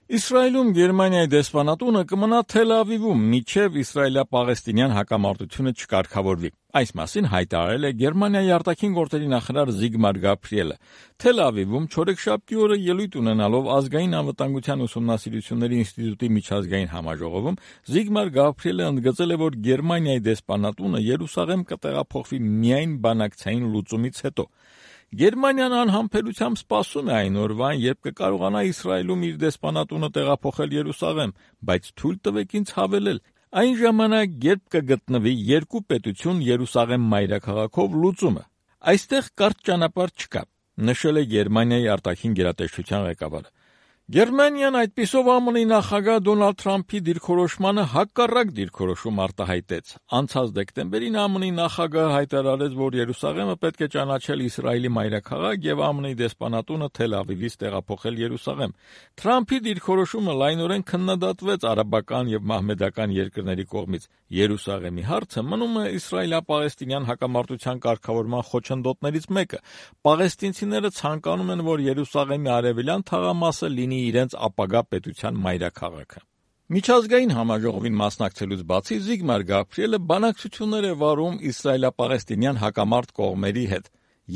Իսրայելում Գերմանիայի դեսպանատունը կմնա Թել Ավիվում, մինչև իսրայելա-պաղեստինյան հակամարտությունը չկարգավորվի։ Այս մասին հայտարարել է Գերմանիայի արտաքին գործերի նախարար Զիգմար Գաբրիելը։ Թել Ավիվում չորեքշաբթի օրը ելույթ ունենալով ազգային անվտանգության ուսումնասիրությունների ինստիտուտի միջազգային համաժողովում Զիգմար Գաբրիելը ընդգծել է, որ Գերմանիայի դեսպանատունը Երուսաղեմ կտեղափոխվի միայն բանակցային լուծումից հետո։ Գերմանիան անհամբերությամբ սպասում է այն օրվան, երբ կկարողանա Իսրայելում իր դեսպանատունը տեղափոխել Երուսաղեմ, բայց թույլ տվեք ինձ հավելել, այն ժամանակ, երբ կգտնվի երկու պետություն Երուսաղեմ մայրաքաղաքով լուծումը։ Այստեղ կարճ ճանապարհ չկա, նշել է Գերմանիայի արտաքին գերատեսչության ղեկավարը։ Գերմանիան այդպիսով ԱՄՆ-ի նախագահ Դոնալդ Թրամփի դիրքորոշմանը հակառակ դիրքորոշում արտահայտեց։ Անցած դեկտեմբերին ԱՄՆ-ի նախագահը հայտարարեց, որ Երուսաղեմը պետք է ճանաչել Իսրայելի մայրաքաղաք եւ ԱՄՆ-ի դեսպանատունը Թել Ավիվից տեղափոխել Երուսաղեմ։ Թրամփի դիրքորոշումը լայնորեն քննադատվեց արաբական եւ մահմեդական երկրների կողմից։ Երուսաղեմի հարցը մնում է իսրայելա-պաղեստինյան հակամարտության կարգավորման խոչընդոտներից մեկը։ Պաղեստինցիները ցանկանում են, որ Երուսաղեմի արևելյան թաղամասը լինի իրենց ապագա պետության մայրաքաղաքը։ Միջազգային համաժողովին մասնակցելուց բացի Զիգմար Գաբրիելը բանակցություններ է վարում իսրայելա-պաղեստինյան հակամարտ կողմերի հետ։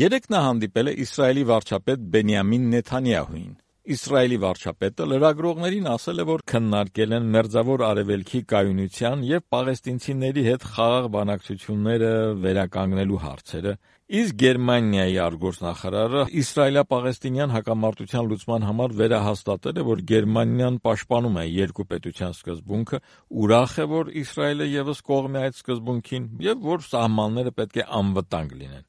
Երեկ նա հանդիպել է Իսրայելի վարչապետ Բենյամին Նեթանյահուին։ Իսրայելի վարչապետը լրագրողներին ասել է, որ քննարկել են Մերձավոր Արևելքի կայունության եւ պաղեստինցիների հետ խաղաղ բանակցությունները վերականգնելու հարցերը, իսկ Գերմանիայի արտգործնախարարը իսրայելա-պաղեստինյան հակամարտության լուծման համար վերահաստատել է, որ Գերմանիան պաշտպանում է երկու պետության սկզբունքը, ուրախ է, որ Իսրայելը եւս կողմ է այդ սկզբունքին եւ որ սահմանները պետք է անվտանգ լինեն։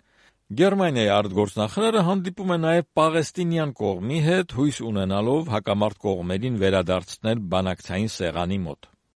Գերմանիայի արտգործնախարարը հանդիպում է նաև պաղեստինյան կողմի հետ, հույս ունենալով հակամարտ կողմերին վերադարձնել բանակցային սեղանի մոտ։